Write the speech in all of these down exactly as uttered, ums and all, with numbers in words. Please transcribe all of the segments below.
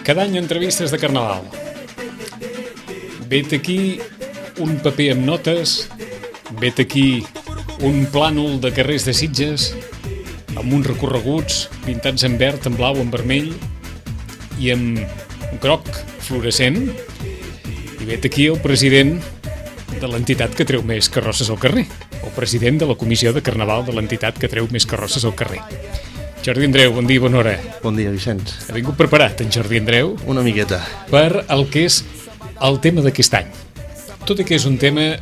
Cada any entrevistes de Carnaval. Vet aquí un paper amb notes, vet aquí un plànol de carrers de Sitges amb uns recorreguts pintats en verd, en blau, en vermell i amb groc fluorescent, i vet aquí el president de l'entitat que treu més carrosses al carrer, el president de la comissió de Carnaval de l'entitat que treu més carrosses al carrer. Jordi Andreu, bon dia, bona hora. Bon dia, Vicenç. Ha vingut preparat en Jordi Andreu? Una miqueta. Per el que és el tema d'aquest any. Tot i que és un tema,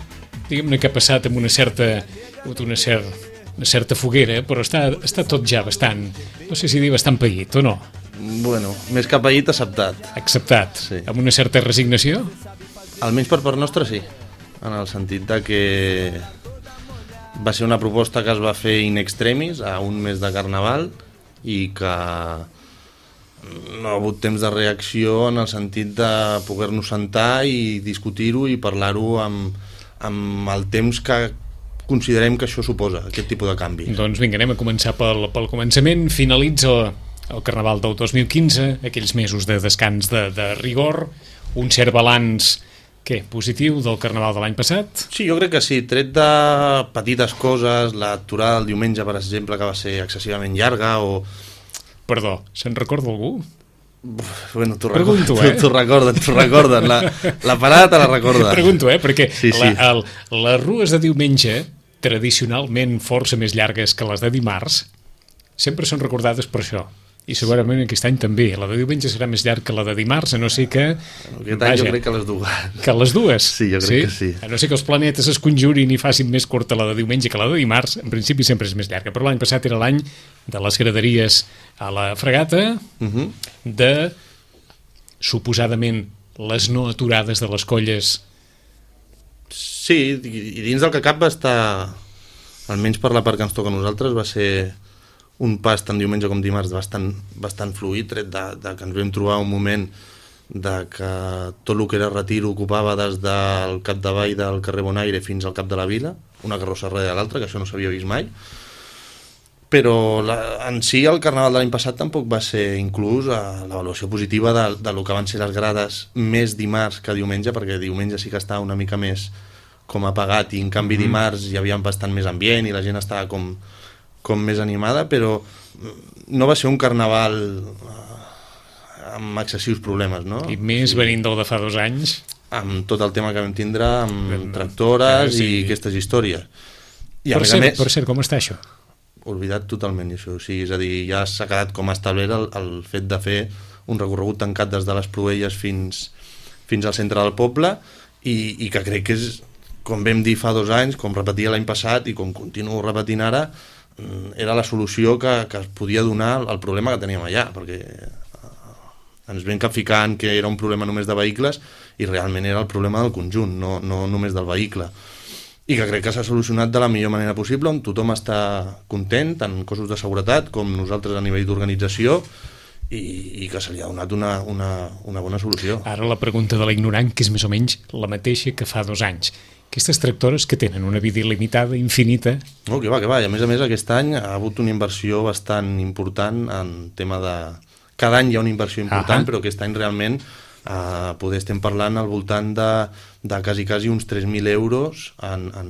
diguem-ne, que ha passat amb una certa, una certa, una certa foguera, però està, està tot ja bastant, no sé si dir bastant paït o no. Bueno, més que paït, acceptat. Acceptat, sí. Amb una certa resignació? Almenys per part nostra, sí. En el sentit de que va ser una proposta que es va fer in extremis a un mes de Carnaval i que no ha hagut temps de reacció en el sentit de poder-nos sentar i discutir-ho i parlar-ho amb, amb el temps que considerem que això suposa, aquest tipus de canvi. Doncs vinga, anem a començar pel, pel començament. Finalitza el Carnaval del dos mil quinze, aquells mesos de descans de, de rigor, un cert balanç, què, positiu del Carnaval de l'any passat? Sí, jo crec que sí, tret de petites coses, l'aturada del diumenge, per exemple, que va ser excessivament llarga, o... Perdó, se'n recorda algú? Bueno, t'ho Pregunto, recorden, eh? t'ho recorden, t'ho recorden, la, la parada te la recorden. Pregunto, eh? Perquè sí, sí. La, el, les rues de diumenge, tradicionalment força més llargues que les de dimarts, sempre són recordades per això. I segurament aquest any també. La de diumenge serà més llarg que la de dimarts, a no ser que... Aquest any jo crec que les dues. Que les dues? Sí, jo crec sí? que sí. A no ser que els planetes es conjurin i facin més curta la de diumenge que la de dimarts, en principi sempre és més llarga. Però l'any passat era l'any de les graderies a la Fregata, uh-huh. de, suposadament, les no aturades de les colles. Sí, i dins del que cap va estar, almenys per la part que ens toca a nosaltres, va ser un pas tant diumenge com dimarts bastant, bastant fluid, tret de, de que ens vam trobar un moment de que tot el que era retir ocupava des del capdavall del carrer Bonaire fins al cap de la vila, una carrossa darrere de l'altra, que això no s'havia vist mai. Però la, en si el Carnaval de l'any passat tampoc va ser inclús a l'avaluació positiva de, de lo que van ser les grades més dimarts que diumenge, perquè diumenge sí que estava una mica més com apagat i en canvi mm-hmm. dimarts hi havia bastant més ambient i la gent estava com... com més animada, però no va ser un Carnaval amb excessius problemes, no? I més sí. Venint del de fa dos anys. Amb tot el tema que vam tindre, amb ben, tractores sí. i aquestes històries. I per, a cert, més, per cert, com està això? Oblidat totalment, això. O sigui, és a dir, ja s'ha quedat com a establert el, el fet de fer un recorregut tancat des de les Proelles fins, fins al centre del poble i, i que crec que és, com vam dir fa dos anys, com repetia l'any passat i com continuo repetint ara, era la solució que, que es podia donar al problema que teníem allà, perquè ens vam capficant que era un problema només de vehicles i realment era el problema del conjunt, no, no només del vehicle. I que crec que s'ha solucionat de la millor manera possible, on tothom està content, tant cossos de seguretat com nosaltres a nivell d'organització, i, i que se li ha donat una, una, una bona solució. Ara la pregunta de l'ignorant, que és més o menys la mateixa que fa dos anys. Aquestes tractores que tenen una vida il·limitada, infinita... No, que va, que va. I a més a més aquest any ha hagut una inversió bastant important en tema de... Cada any hi ha una inversió important, uh-huh. però aquest any realment eh, poder estem parlant al voltant de, de quasi, quasi uns tres mil euros en, en,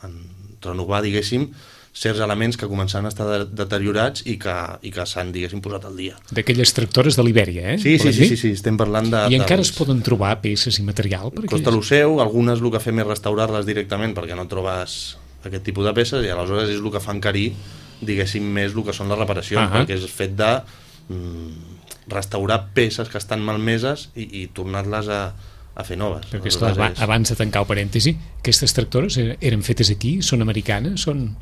en renovar, diguéssim, certs elements que començaven a estar deteriorats i que, i que s'han, diguéssim, posat al dia. D'aquelles tractores de l'Ibèria, eh? Sí, sí, sí, sí, sí, estem parlant de... I encara dels... es poden trobar peces i material? Per costa lo seu, algunes el que fem és restaurar-les directament perquè no trobes aquest tipus de peces i aleshores és el que fa encarir, diguéssim, més el que són les reparacions, uh-huh. perquè és el fet de mm, restaurar peces que estan malmeses i, i tornar-les a, a fer noves. Perquè, esclar, és... abans de tancar el parèntesi, aquestes tractores eren fetes aquí? Són americanes? Són...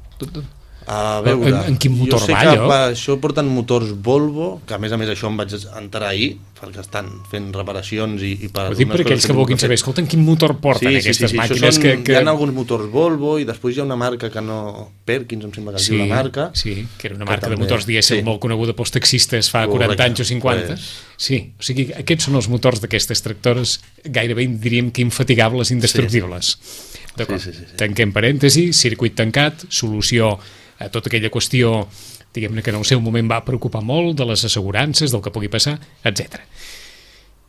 A veure, en, en quin motor jo sé va, que allò? va, això porten motors Volvo, que a més a més això em vaig enterar ahir, perquè estan fent reparacions i, i per... Ho dic per aquells que vulguin saber, escolta, en quin motor porten sí, aquestes sí, sí, sí. màquines Són, que, que... Hi ha alguns motors Volvo i després hi ha una marca que no... Perkins, em sembla que es sí, diu la marca. Sí, que era una marca també, de motors dièsel sí. molt coneguda pels taxistes fa Correcte, quaranta anys o cinquanta. pues... Sí, o sigui, aquests són els motors d'aquestes tractores gairebé diríem que infatigables, indestructibles. Sí. D'acord, sí, sí, sí, sí. Tanquem parèntesi, circuit tancat, solució a tota aquella qüestió, diguem-ne que en el seu moment va preocupar molt de les assegurances, del que pugui passar, etcètera.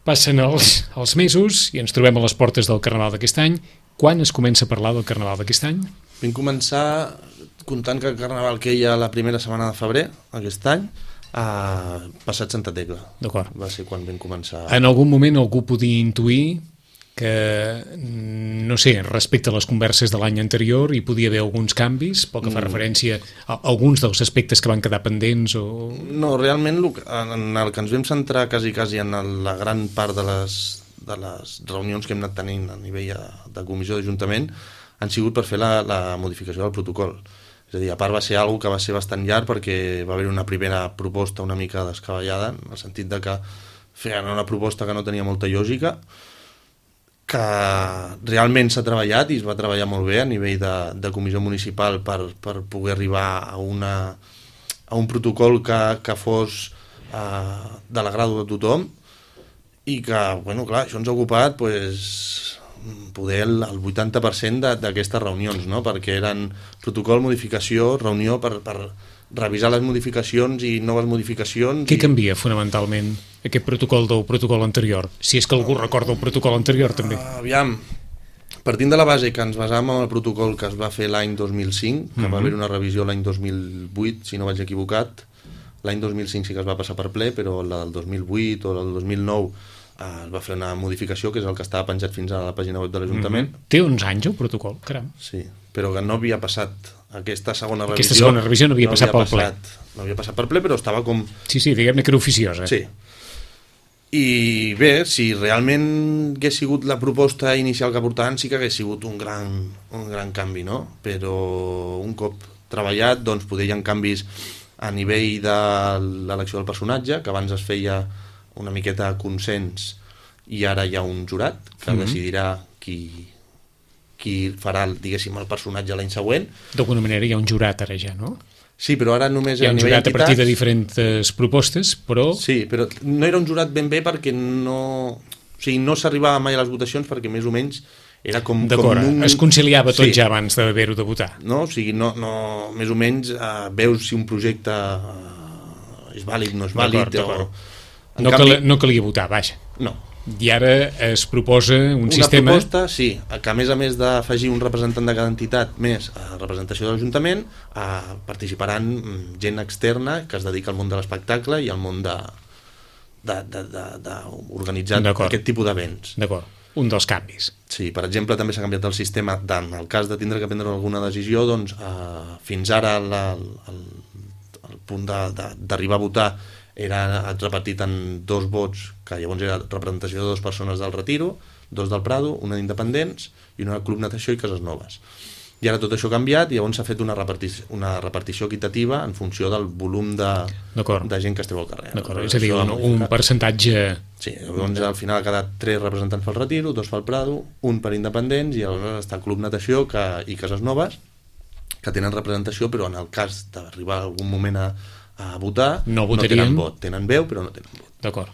Passen els, els mesos i ens trobem a les portes del Carnaval d'aquest any. Quan es comença a parlar del Carnaval d'aquest any? Vam començar comptant que el Carnaval queia la primera setmana de febrer, aquest any, a passat Santa Tecla. D'acord. Va ser quan vam començar... En algun moment algú podia intuir que, no sé, respecte a les converses de l'any anterior hi podia haver alguns canvis, pel que fa referència a alguns dels aspectes que van quedar pendents o... No, realment en el que ens vam centrar quasi, quasi en la gran part de les, de les reunions que hem anat tenint a nivell de comissió d'Ajuntament han sigut per fer la, la modificació del protocol. És a dir, a part va ser algo que va ser bastant llarg perquè va haver una primera proposta una mica descabellada, en el sentit de que feien una proposta que no tenia molta lògica, que realment s'ha treballat i es va treballar molt bé a nivell de, de comissió municipal per, per poder arribar a, una, a un protocol que, que fos eh, de l'agrado de tothom i que, bueno, clar, això ens ha ocupat pues, poder el, el vuitanta per cent d'aquestes reunions, no? Perquè eren protocol, modificació, reunió per, per revisar les modificacions i noves modificacions. Què i... canvia fonamentalment aquest protocol del protocol anterior? Si és que algú recorda el protocol anterior també. Uh, aviam, partint de la base que ens basàvem en el protocol que es va fer l'any dos mil cinc, que mm-hmm. va haver una revisió l'any dos mil vuit, si no vaig equivocat, l'any dos mil cinc sí que es va passar per ple, però la del dos mil vuit o la del dos mil nou uh, es va fer una modificació, que és el que estava penjat fins a la pàgina web de l'Ajuntament. Mm-hmm. Té uns anys el protocol, caram. Sí, però que no havia passat aquesta segona revisió. Aquesta segona revisió no havia no passat havia pel passat, ple. No havia passat per ple, però estava com... Sí, sí, diguem-ne que era oficiosa. Sí. I bé, si realment hagués sigut la proposta inicial que portaven, sí que hagués sigut un gran, un gran canvi, no? Però un cop treballat, doncs poder hi ha canvis a nivell de l'elecció del personatge, que abans es feia una miqueta consens i ara hi ha un jurat que mm-hmm. decidirà qui... qui farà, diguéssim, el personatge l'any següent. D'alguna manera hi ha un jurat ara ja, no? Sí, però ara només... Hi ha un jurat a partir de diferents propostes, però... Sí, però no era un jurat ben bé perquè no... O sigui, no s'arribava mai a les votacions perquè més o menys era com... D'acord, com un... es conciliava tot sí. ja abans d'haver-ho de votar. No, o sigui, no, no, més o menys eh, veus si un projecte eh, és vàlid, no és vàlid... D'acord, d'acord. O... No, canvi... cal, no calia votar, vaja. No. I ara es proposa un una sistema... Una proposta, sí, que a més a més d'afegir un representant de cada entitat més a representació de l'Ajuntament, eh, participaran gent externa que es dedica al món de l'espectacle i al món de, de, de, de, de organitzar aquest tipus d'events. D'acord, un dels canvis. Sí, per exemple, també s'ha canviat el sistema, en el cas de tindre que prendre alguna decisió, doncs eh, fins ara la, el, el punt d'arribar a votar era repartit en dos vots, que llavors era representació de dues persones del Retiro, dos del Prado, una d'Independents i una del Club Natació i Cases Noves. I ara tot això ha canviat i llavors s'ha fet una repartició, una repartició equitativa en funció del volum de, de gent que esteu al carrer. D'acord, és a dir, un, un percentatge... Sí, llavors al final ha quedat tres representants pel Retiro, dos pel Prado, un per Independents i aleshores està el Club Natació que, i Cases Noves, que tenen representació, però en el cas d'arribar algun moment a a votar, no, no tenen vot, tenen veu però no tenen vot. D'acord.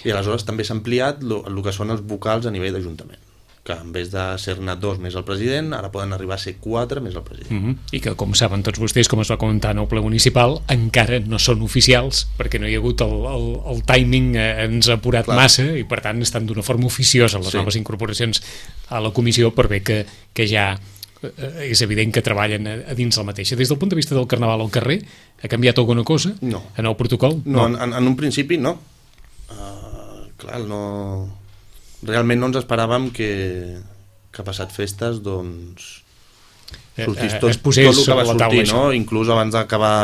I aleshores també s'ha ampliat el que són els vocals a nivell d'Ajuntament, que en vez de ser-ne dos més el president, ara poden arribar a ser quatre més el president. Mm-hmm. I que, com saben tots vostès, com es va comentar en el ple municipal, encara no són oficials, perquè no hi ha hagut el, el, el timing, eh, ens ha apurat Clar. massa, i per tant estan d'una forma oficiosa les sí. noves incorporacions a la comissió, per bé que, que ja és evident que treballen a dins la mateixa. Des del punt de vista del Carnaval al carrer, ha canviat alguna cosa? No. En el protocol? No, no. En, en un principi no. Uh, clar, no... Realment no ens esperàvem que, que passat festes, doncs, sortís tot, es posés tot el que va sobre la sortir, taula, no? Inclús abans d'acabar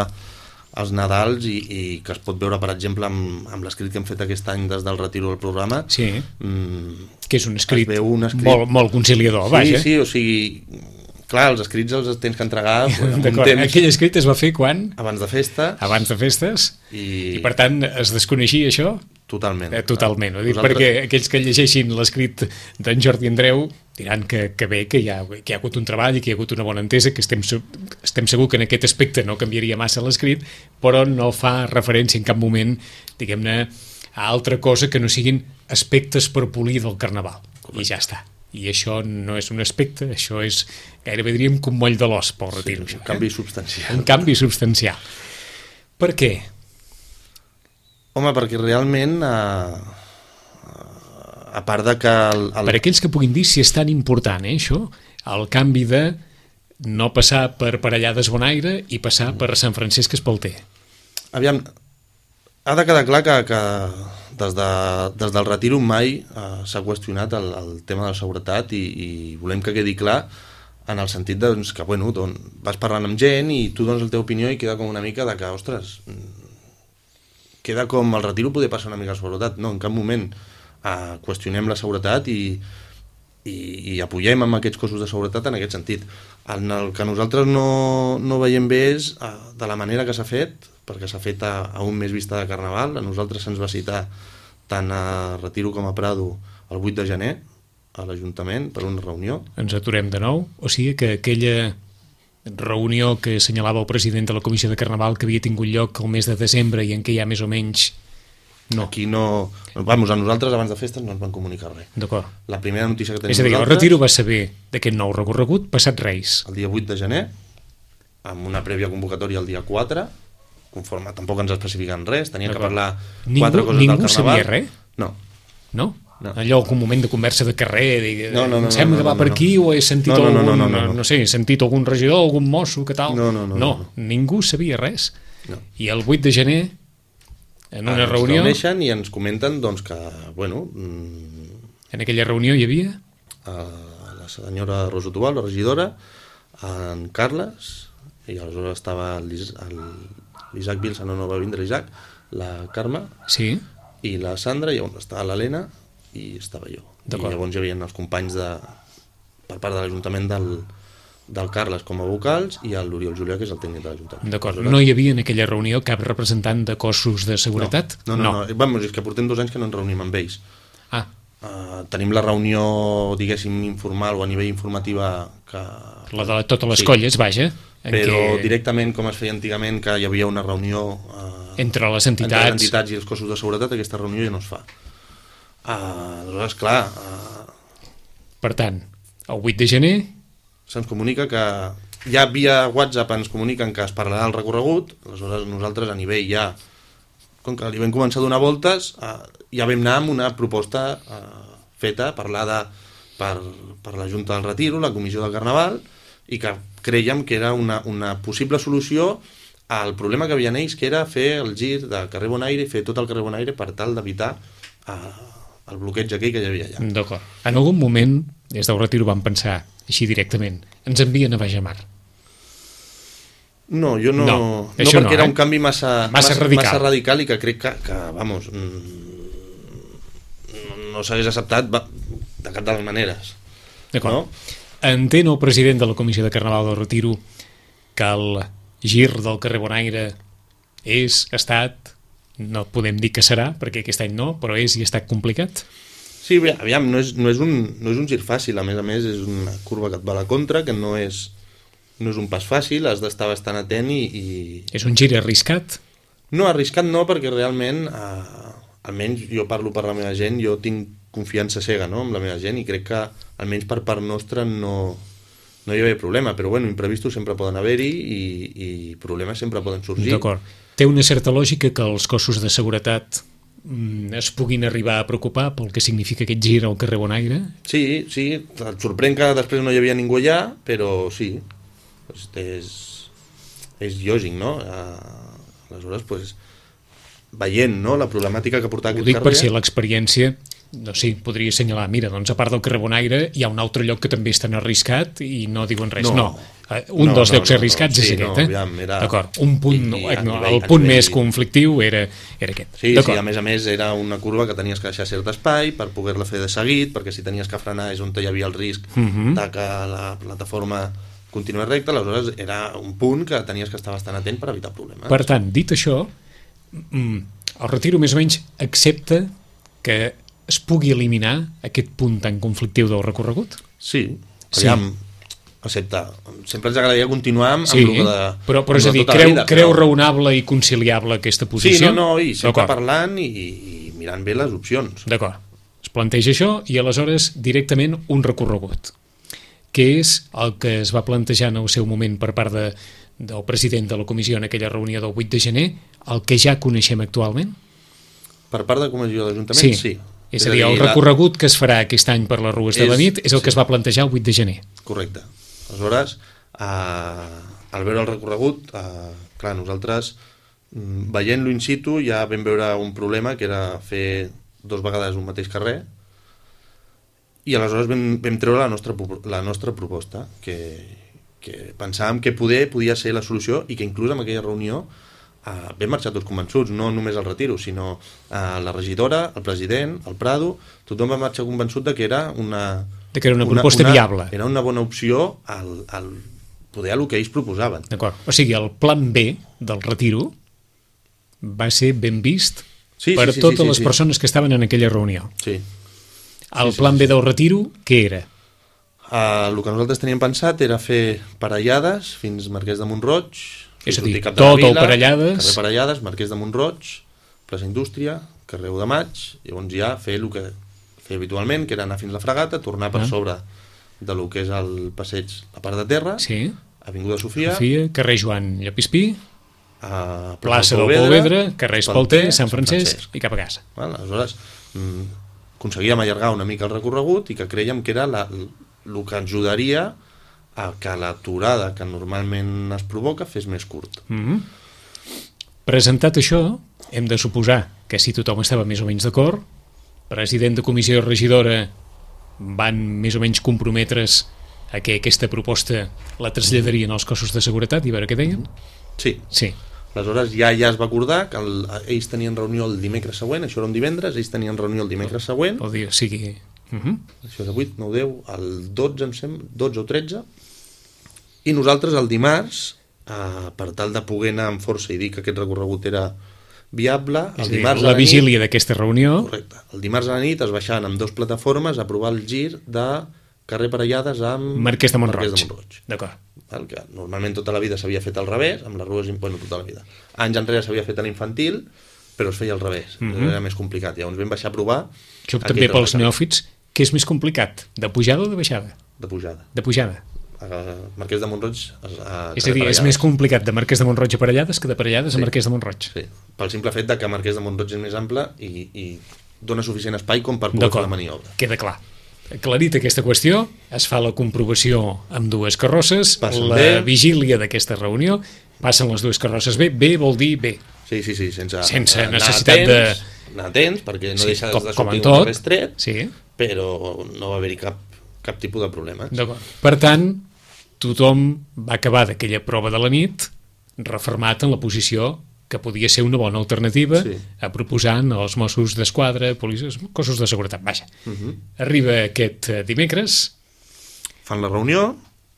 els Nadals i, i que es pot veure, per exemple, amb, amb l'escrit que hem fet aquest any des del Retiro del programa. Sí, mm, que és un escrit, un escrit molt, molt conciliador, sí, vaja. Sí, o sigui... clar, els escrits els tens que entregar pues, en un temps... Aquell escrit es va fer quan? Abans de festes. Abans de festes. I, I per tant, es desconeixia això? Totalment. Eh, totalment. Ho dic Nosaltres... perquè aquells que llegeixin l'escrit d'en Jordi Andreu diran que, que bé, que hi, ha, que hi ha hagut un treball i que hi ha hagut una bona entesa, que estem, estem segur que en aquest aspecte no canviaria massa l'escrit, però no fa referència en cap moment, diguem-ne, a altra cosa que no siguin aspectes per polir del Carnaval. Correcte. I ja està. I això no és un aspecte, això és gairebé diríem que un moll de l'os pel retiro. Sí, això, un canvi eh? substancial. Un canvi substancial. Per què? Home, perquè realment, a, a part de que... El, el... Per aquells que puguin dir si és tan important, eh, això, el canvi de no passar per Parellades Bonaire i passar per Sant Francesc Espalter. Aviam, ha de quedar clar que, que des, de, des del retiro mai eh, s'ha qüestionat el, el tema de la seguretat i, i volem que quedi clar en el sentit de, doncs, que bueno, doncs, vas parlant amb gent i tu dones la teva opinió i queda com una mica de que, ostres, queda com el retiro poder passar una mica la seguretat. No, en cap moment eh, qüestionem la seguretat i, i, i apoyem amb aquests cossos de seguretat en aquest sentit. En el que nosaltres no, no veiem bé és eh, de la manera que s'ha fet, perquè s'ha fet a, a un mes vista de Carnaval. A nosaltres se'ns va citar tant a Retiro com a Prado el vuit de gener a l'Ajuntament per una reunió. Ens aturem de nou, o sigui que aquella reunió que assenyalava el president de la Comissió de Carnaval que havia tingut lloc el mes de desembre i en què ja més o menys... No. Aquí no... Vamos, a nosaltres abans de festes no ens van comunicar res. D'acord. La primera notícia que tenim És a dir, nosaltres... el Retiro va saber d'aquest nou recorregut passat Reis. El dia vuit de gener, amb una prèvia convocatòria el dia quatre, conforme tampoc ens especifiquen res, tenia que parlar ningú, quatre coses ningú del Carnaval. Sabia res? No. No? No. Allò, algun moment de conversa de carrer, de, no, no, no, em sembla no, no, que va no, per no. aquí o he sentit no, no, algun, no, no, no, no. no sé, he sentit algun regidor, algun mosso, que tal? No, no, no. No, no, no. ningú sabia res. No. I el vuit de gener, en una ens reunió... Ens reuneixen i ens comenten doncs, que, bueno... Mmm, en aquella reunió hi havia... la senyora Rosa Tubal, la regidora, en Carles, i aleshores estava l'Isaac Vilsa, no, no va vindre l'Isaac, la Carme, sí. I la Sandra, i on estava l'Helena, i estava jo. I llavors hi havia els companys de, per part de l'Ajuntament del, del Carles com a vocals i l'Oriol Julià, que és el tècnic de l'Ajuntament. D'acord. No hi havia en aquella reunió cap representant de cossos de seguretat? No, no, no. no. no. Vamos, és que portem dos anys que no ens reunim amb ells. Ah. Uh, tenim la reunió, diguéssim, informal o a nivell informativa que... La de totes les sí. colles, vaja. En però què... directament, com es feia antigament, que hi havia una reunió... Uh, entre les entitats... Entre les entitats i els cossos de seguretat, aquesta reunió ja no es fa. Uh, aleshores, clar... Uh, per tant, el vuit de gener... Se'ns comunica que... Ja via WhatsApp ens comuniquen que es parlarà del recorregut, aleshores nosaltres a nivell ja... Com que li vam començar a donar voltes, uh, ja vam anar amb una proposta uh, feta, parlada per, per la Junta del Retiro, la Comissió del Carnaval, i que creiem que era una, una possible solució al problema que havien ells, que era fer el gir de carrer Bonaire i fer tot el carrer Bonaire per tal d'evitar uh, el bloqueig aquell que hi havia allà. D'acord. En algun moment, des del Retiro, vam pensar així directament, ens envien a Baix Mar. No, jo no... No, no perquè no, era eh? un canvi massa, massa, massa, radical. massa radical i que crec que, que vamos, no s'hagués acceptat de cap de les maneres. D'acord. No? Entén el president de la Comissió de Carnaval del Retiro que el gir del carrer Bonaire és, ha estat, no podem dir que serà, perquè aquest any no, però és i ha estat complicat? Sí, aviam, no és, no és, un, no és un gir fàcil, a més a més és una curva que et va a la contra, que no és, no és un pas fàcil, has d'estar bastant atent i, i... És un gir arriscat? No, arriscat no, perquè realment, eh, almenys jo parlo per la meva gent, jo tinc confiança cega, no?, amb la meva gent, i crec que almenys per part nostra no, no hi havia problema, però bueno, imprevistos sempre poden haver-hi i, i problemes sempre poden sorgir. D'acord. Té una certa lògica que els cossos de seguretat mm, es puguin arribar a preocupar pel que significa aquest gir al carrer Bonaire? Sí, sí, et sorprèn que després no hi havia ningú allà, però sí, és, és lògic, no? Aleshores, pues, veient, no?, la problemàtica que portava aquest carrer... Ho dic per si l'experiència... No, sí, podria assenyalar, mira, doncs a part del carrer Bonaire hi ha un altre lloc que també és tan arriscat i no diuen res. No, no. un no, dels no, llocs no, arriscats no, és sí, aquest, no, eh? Aviam, era... D'acord, un punt, I, no, i, no, nivell, el punt nivell... més conflictiu era, era aquest. Sí, sí, a més a més era una curva que tenies que deixar cert espai per poder-la fer de seguit, perquè si tenies que frenar és on hi havia el risc uh -huh. de que la plataforma continués recte, aleshores era un punt que tenies que estar bastant atent per evitar problemes. Per tant, dit això, el Retiro més o menys accepta que es pugui eliminar aquest punt tan conflictiu del recorregut? Sí, sí. Aviam, excepte, sempre ens agradaria continuar amb, sí, amb el de, però, però amb és a dir, tota creu, vida, creu però... raonable i conciliable aquesta posició? Sí, no, no, i sempre parlant i, i mirant bé les opcions. D'acord, es planteja això i aleshores directament un recorregut, que és el que es va plantejar en el seu moment per part de, del president de la comissió en aquella reunió del vuit de gener, el que ja coneixem actualment? Per part de la comissió de l'Ajuntament, sí. sí. És, és a dir, el recorregut que es farà aquest any per les rues de la nit és el que sí. es va plantejar el vuit de gener. Correcte. Aleshores, eh, al veure el recorregut, eh, clar, nosaltres, veient-lo in situ, ja vam veure un problema, que era fer dos vegades un mateix carrer, i aleshores vam, vam treure la nostra, la nostra proposta, que, que pensàvem que poder podia ser la solució i que inclús en aquella reunió Uh, vam marxar tots convençuts, no només el Retiro, sinó uh, la regidora, el president, el Prado, tothom va marxar convençut de que era una, de que era una proposta una, una, viable. Era una bona opció al, al poder el que ells proposaven. D'acord. O sigui, el plan B del Retiro va ser ben vist sí, per sí, sí, totes sí, sí, les sí. persones que estaven en aquella reunió. Sí. El sí, sí, plan sí, B del Retiro, què era? Uh, el que nosaltres teníem pensat era fer parellades fins Marquès de Mont-roig. És a dir, tot el Parellades... Carrer Parellades, Marquès de Mont-roig, plaça Indústria, carrer u de Maig, i llavors ja fer el que fer habitualment, que era anar fins a la Fregata, tornar per ah. sobre de lo que és el passeig, la part de terra, sí. Avinguda Sofia, Sofia, carrer Joan Llapispí, a plaça del Polvedra, carrer Espalter, Sant Francesc, Sant Francesc i cap a casa. Bueno, aleshores, mm, aconseguíem allargar una mica el recorregut i que creiem que era la, el que ajudaria a que l'aturada que normalment es provoca fes més curt. Mm-hmm. Presentat això, hem de suposar que si tothom estava més o menys d'acord, president de comissió i regidora van més o menys comprometre's a que aquesta proposta la traslladarien als cossos de seguretat i veure què deien? Sí. Sí. Aleshores ja ja es va acordar que el, ells tenien reunió el dimecres següent, això era un divendres, ells tenien reunió el dimecres següent. El dia sigui... Uh-huh. Això és el vuit, nou, deu, el dotze, em sembla, dotze o tretze, i nosaltres el dimarts, eh, per tal de poder anar amb força i dir que aquest recorregut era viable, el dir, dimarts la, la vigília d'aquesta reunió... Correcte. El dimarts a la nit es baixaven amb dues plataformes a provar el gir de carrer Parellades amb Marquès de Mont-roig. Mont-roig. D'acord. El que normalment tota la vida s'havia fet al revés, amb les rues, bueno, tota la vida. Anys enrere s'havia fet a l'infantil, però es feia al revés, mm-hmm. era més complicat. Llavors vam baixar a provar... Això també pels neòfits, què és més complicat? De pujada o de baixada? De pujada. De pujada. A Marquès de Mont-roig a, a és a dir, és més complicat de Marquès de Mont-roig a Parellades que de Parellades sí. a Marquès de Mont-roig. Sí, pel simple fet de que Marquès de Mont-roig és més ample i, i dona suficient espai com per poder fer la maniobra. Queda clar. Aclarit aquesta qüestió, es fa la comprovació amb dues carrosses, passen la bé. Vigília d'aquesta reunió, passen les dues carrosses bé, bé vol dir bé. Sí, sí, sí, sense, sense necessitat de... Anar atents, perquè no sí, deixa com, de sortir un carrer estret, sí. però no va haver-hi cap, cap tipus de problemes. D'acord. Per tant, tothom va acabar d'aquella prova de la nit refermat en la posició que podia ser una bona alternativa sí. a proposant als Mossos d'Esquadra, policies, cossos de seguretat. Vaja. Uh-huh. Arriba aquest dimecres. Fan la reunió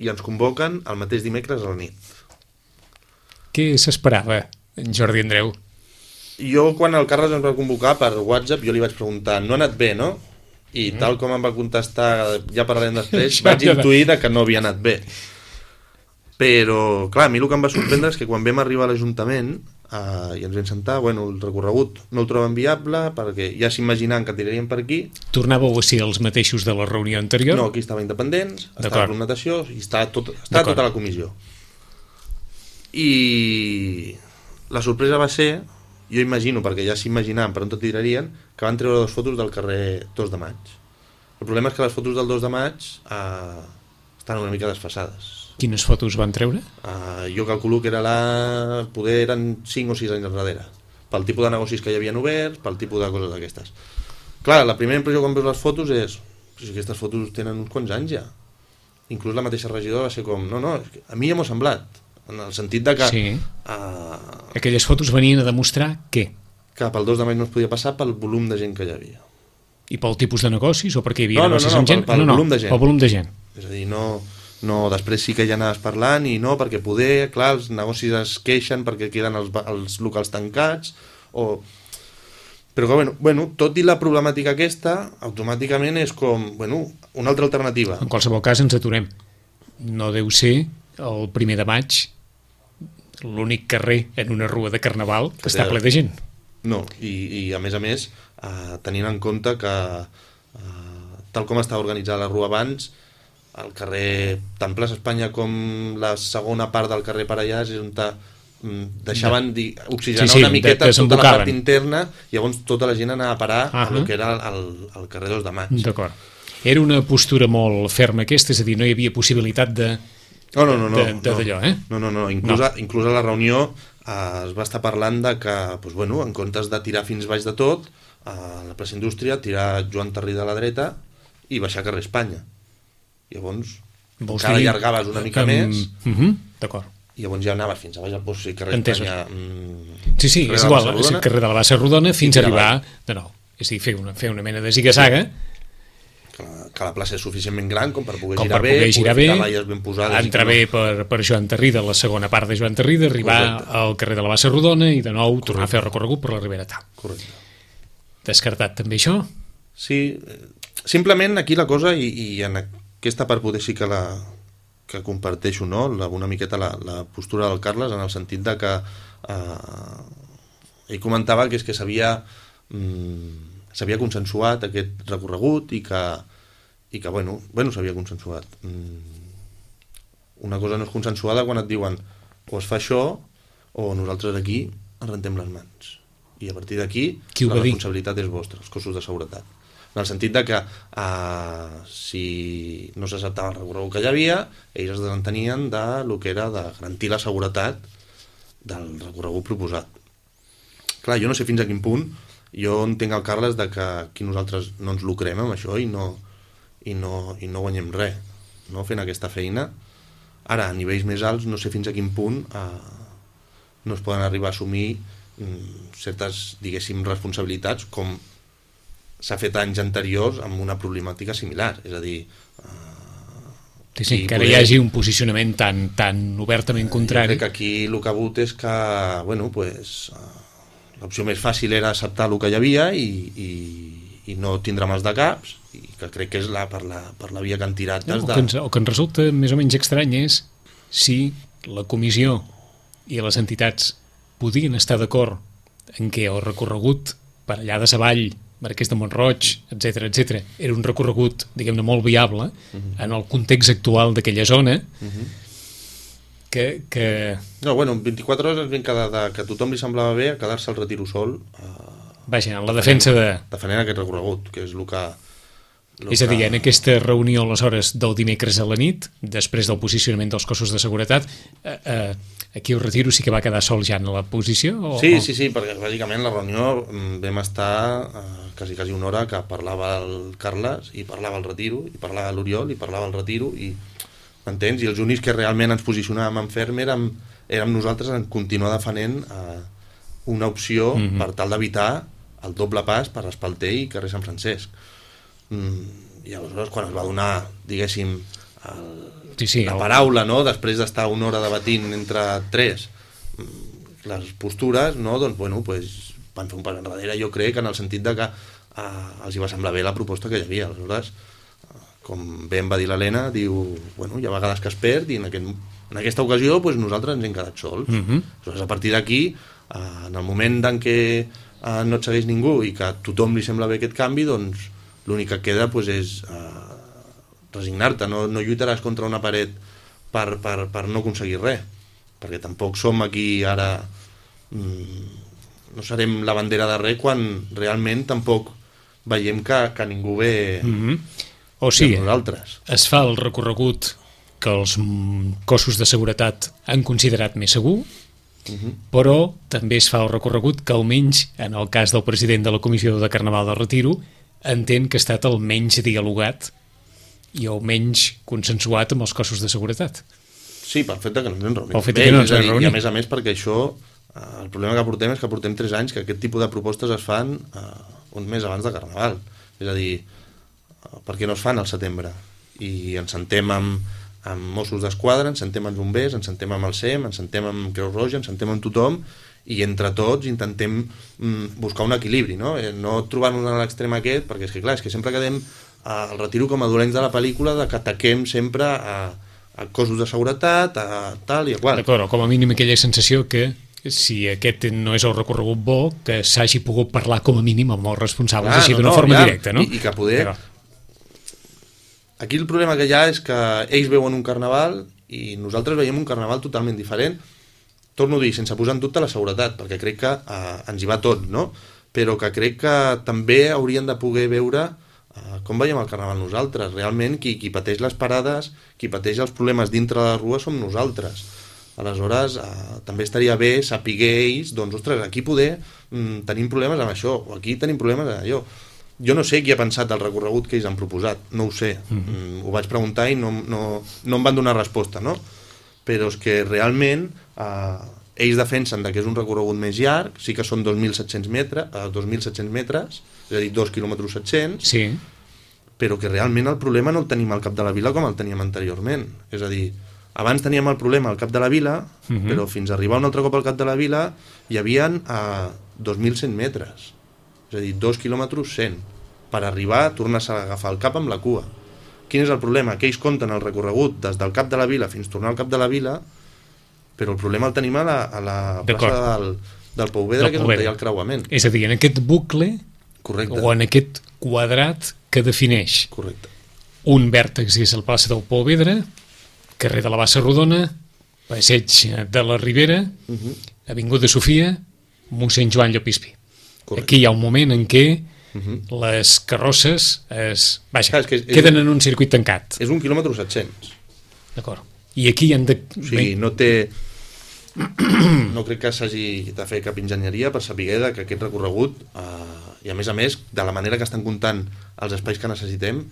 i ens convoquen el mateix dimecres a la nit. Què s'esperava, en Jordi Andreu? Jo, quan el Carles ens va convocar per WhatsApp, jo li vaig preguntar, no ha anat bé, no? I mm. tal com em va contestar, ja parlarem després, vaig intuir que no havia anat bé. Però, clar, a mi el que em va sorprendre és que quan vam arribar a l'Ajuntament eh, i ens vam sentar, bueno, el recorregut no el troben viable, perquè ja s'imaginaven que tiraríem per aquí. Tornàveu a ser els mateixos de la reunió anterior? No, aquí estava Independents, estava Club Natació, i estava, tot, estava tota la comissió. I la sorpresa va ser, jo imagino, perquè ja s'imaginaven per on tot tirarien, que van treure dues fotos del carrer dos de maig. El problema és que les fotos del dos de maig eh, estan una mica desfasades. Quines fotos van treure? Uh, jo calculo que era la... poder eren cinc o sis anys darrere, pel tipus de negocis que hi havien oberts, pel tipus de coses d'aquestes. Clar, la primera impressió quan veus les fotos és si aquestes fotos tenen uns quants anys ja. Inclús la mateixa regidora va ser com no, no, a mi ja m'ho ha semblat, en el sentit de que sí. uh, aquelles fotos venien a demostrar què? Que pel dos de maig no es podia passar pel volum de gent que hi havia. I pel tipus de negocis o perquè hi havia no, negocis no, no, amb gent? Pel, pel no, no, volum de gent. Pel volum de gent. És a dir, no... No, després sí que ja anaves parlant i no, perquè poder, clar, els negocis es queixen perquè queden els, els locals tancats, o... Però que, bueno, bueno, tot i la problemàtica aquesta, automàticament és com, bueno, una altra alternativa. En qualsevol cas ens aturem. No deu ser el primer de maig l'únic carrer en una rua de Carnaval que, que està ple de gent. No, i, i a més a més, eh, tenint en compte que eh, tal com estava organitzada la rua abans, el carrer, tant Plaça Espanya com la segona part del carrer Parellàs és on deixaven de... oxigenar sí, sí, una miqueta de, tota la part interna, i llavors tota la gent anava a parar uh -huh. a lo que era el, el carrer dos de maig. D'acord. Era una postura molt ferma aquesta, és a dir, no hi havia possibilitat de... No, no, no, no, de, de, no, d'allò, eh? no, no, no. Inclús, no. A, inclús a la reunió eh, es va estar parlant de que, doncs, bueno, en comptes de tirar fins baix de tot, a la plaça Indústria, tirar Joan Tarrí de la dreta i baixar carrer Espanya. Llavors, encara allargaves una mica um, més, uh -huh, d'acord. I llavors ja anaves fins a baix al post, i carrer Entès. Espanya... Mm, sí, sí, és igual, és el carrer de la Bassa Rodona fins a arribar de nou. És a dir, fer una, fer una mena de ziga-zaga. Que la, que la plaça és suficientment gran com per poder com girar per bé, poder girar bé, ben posades, entrar bé per, per Joan Tarrida, la segona part de Joan Tarrida, arribar Correcte. Al carrer de la Bassa Rodona i de nou Correcte. Tornar a fer el recorregut per la Ribera Tal. Correcte. Descartat també això? Sí, simplement aquí la cosa, i, i en aquesta part poder sí que la... que comparteixo, no? La, una miqueta la, la postura del Carles, en el sentit de que eh, ell comentava que és que s'havia mm, s'havia consensuat aquest recorregut i que, i que bueno, bueno s'havia consensuat. Mm, una cosa no és consensuada quan et diuen o es fa això o nosaltres aquí ens rentem les mans. I a partir d'aquí la responsabilitat és vostra, els cossos de seguretat. En el sentit de que uh, si no s'acceptava el recorregut que hi havia, ells es desentenien de lo que era de garantir la seguretat del recorregut proposat. Clar, jo no sé fins a quin punt, jo entenc el Carles de que aquí nosaltres no ens lucrem amb això i no, i no, i no guanyem res, no? Fent aquesta feina. Ara, a nivells més alts, no sé fins a quin punt uh, no es poden arribar a assumir um, certes, diguéssim, responsabilitats com s'ha fet anys anteriors amb una problemàtica similar, és a dir... Uh, sí, sí, que ara poder... hi hagi un posicionament tan, tan obertament contrari. Jo crec que aquí el que ha hagut és que, bueno, pues, uh, l'opció més fàcil era acceptar el que hi havia i, i, i no tindre mals de caps, i que crec que és la, per, la, per la via que han tirat. No, el, de... que ens, el que ens resulta més o menys estrany és si la comissió i les entitats podien estar d'acord en què el recorregut per allà de Savall, Marquès de Montroig, etcètera, etcètera, era un recorregut, diguem-ne, molt viable uh-huh. en el context actual d'aquella zona, uh-huh. que, que... No, bueno, en vint-i-quatre hores ens vam quedar de, que a tothom li semblava bé a quedar-se al Retiro sol. Uh, Vaja, en la defensa de... Defendent aquest recorregut, que és el que... És a dir, en aquesta reunió aleshores del dimecres a la nit, després del posicionament dels cossos de seguretat, eh, eh, aquí el Retiro sí que va quedar sol ja en la posició? O, sí, o... sí, sí, perquè bàsicament la reunió vam estar eh, quasi, quasi una hora que parlava el Carles i parlava el Retiro, i parlava l'Oriol i parlava el Retiro, i m'entens? I els únics que realment ens posicionàvem en ferm érem, érem nosaltres en continuar defenent eh, una opció mm-hmm. per tal d'evitar el doble pas per Espalter i carrer Sant Francesc. Mm, i aleshores quan es va donar, diguéssim, el, sí, sí, la el... paraula, no? Després d'estar una hora debatint entre tres les postures, no? Doncs bueno, pues, van fer un pas enrere, jo crec, en el sentit de que eh, els hi va semblar bé la proposta que hi havia. Aleshores, eh, com bé em va dir l'Helena, diu, bueno, hi ha vegades que es perd i en, aquest, en aquesta ocasió pues, nosaltres ens hem quedat sols. Mm-hmm. Aleshores, a partir d'aquí, eh, en el moment en què eh, no et segueix ningú i que a tothom li sembla bé aquest canvi, doncs l'únic que queda pues, és eh, resignar-te, no, no lluitaràs contra una paret per, per, per no aconseguir res, perquè tampoc som aquí ara, mmm, no serem la bandera de res quan realment tampoc veiem que, que ningú ve mm-hmm. o sigui, nosaltres. Es fa el recorregut que els cossos de seguretat han considerat més segur, mm-hmm. però també es fa el recorregut que almenys en el cas del president de la Comissió de Carnaval del Retiro entén que ha estat el menys dialogat i el menys consensuat amb els cossos de seguretat. Sí, pel fet que no ens hem reunit. Pel fet que no ens hem reunit. I a més a més perquè això, el problema que portem és que portem tres anys que aquest tipus de propostes es fan eh, un mes abans de Carnaval. És a dir, per què no es fan al setembre? I ens sentem amb, amb Mossos d'Esquadra, ens sentem amb bombers, ens sentem amb el S E M, ens sentem amb Creu Roja, ens sentem amb tothom, i entre tots intentem mm, buscar un equilibri, no? Eh, no trobar-nos a l'extrem aquest, perquè és que clar, és que sempre quedem al retiro com a dolents de la pel·lícula, de que ataquem sempre a, a cossos de seguretat, a tal i a qual. D'acord, com a mínim aquella sensació que si aquest no és el recorregut bo, que s'hagi pogut parlar com a mínim amb els responsables, clar, així d'una no, no, forma ja, directa, no? I, i que poder... Aquí el problema que hi ha és que ells veuen un carnaval i nosaltres veiem un carnaval totalment diferent. Torno a dir, sense posar en dubte la seguretat, perquè crec que eh, ens hi va tot, no? Però que crec que també haurien de poder veure eh, com veiem el carnaval nosaltres. Realment, qui, qui pateix les parades, qui pateix els problemes dintre de la rua som nosaltres. Aleshores, eh, també estaria bé saber ells, doncs, ostres, aquí poder mm, tenim problemes amb això, o aquí tenim problemes amb allò. Jo no sé qui ha pensat el recorregut que ells han proposat, no ho sé. Mm-hmm. Mm, ho vaig preguntar i no, no, no em van donar resposta, no? Però és que realment eh, ells defensen que és un recorregut més llarg, sí que són dos mil set-cents metres, eh, dos mil set-cents metres, és a dir, dos quilòmetres set-cents, sí. Però que realment el problema no el tenim al cap de la vila com el teníem anteriorment. És a dir, abans teníem el problema al cap de la vila, uh-huh. però fins a arribar un altre cop al cap de la vila hi havia eh, dos mil cent metres, és a dir, dos quilòmetres cent, per arribar a tornar a agafar el cap amb la cua. Quin és el problema? Que ells compten el recorregut des del cap de la vila fins a tornar al cap de la vila, però el problema el tenim a la, a la plaça del, del Pouvedre, que és on hi ha el creuament. És a dir, en aquest bucle, correcte, o en aquest quadrat que defineix. Correcte. Un vèrtex és el plaça del Pouvedre, carrer de la Bassa Rodona, passeig de la Ribera, uh-huh. Avinguda Sofia, mossèn Joan Llopispi. Correcte. Aquí hi ha un moment en què Uh-huh. les carrosses es, vaja, Clar, és que és, queden és, en un circuit tancat. És un quilòmetre set-cents. D'acord. I aquí han de... O sigui, no té... No crec que s'hagi de fer cap enginyeria per saber que aquest recorregut, eh, i a més a més, de la manera que estan comptant els espais que necessitem,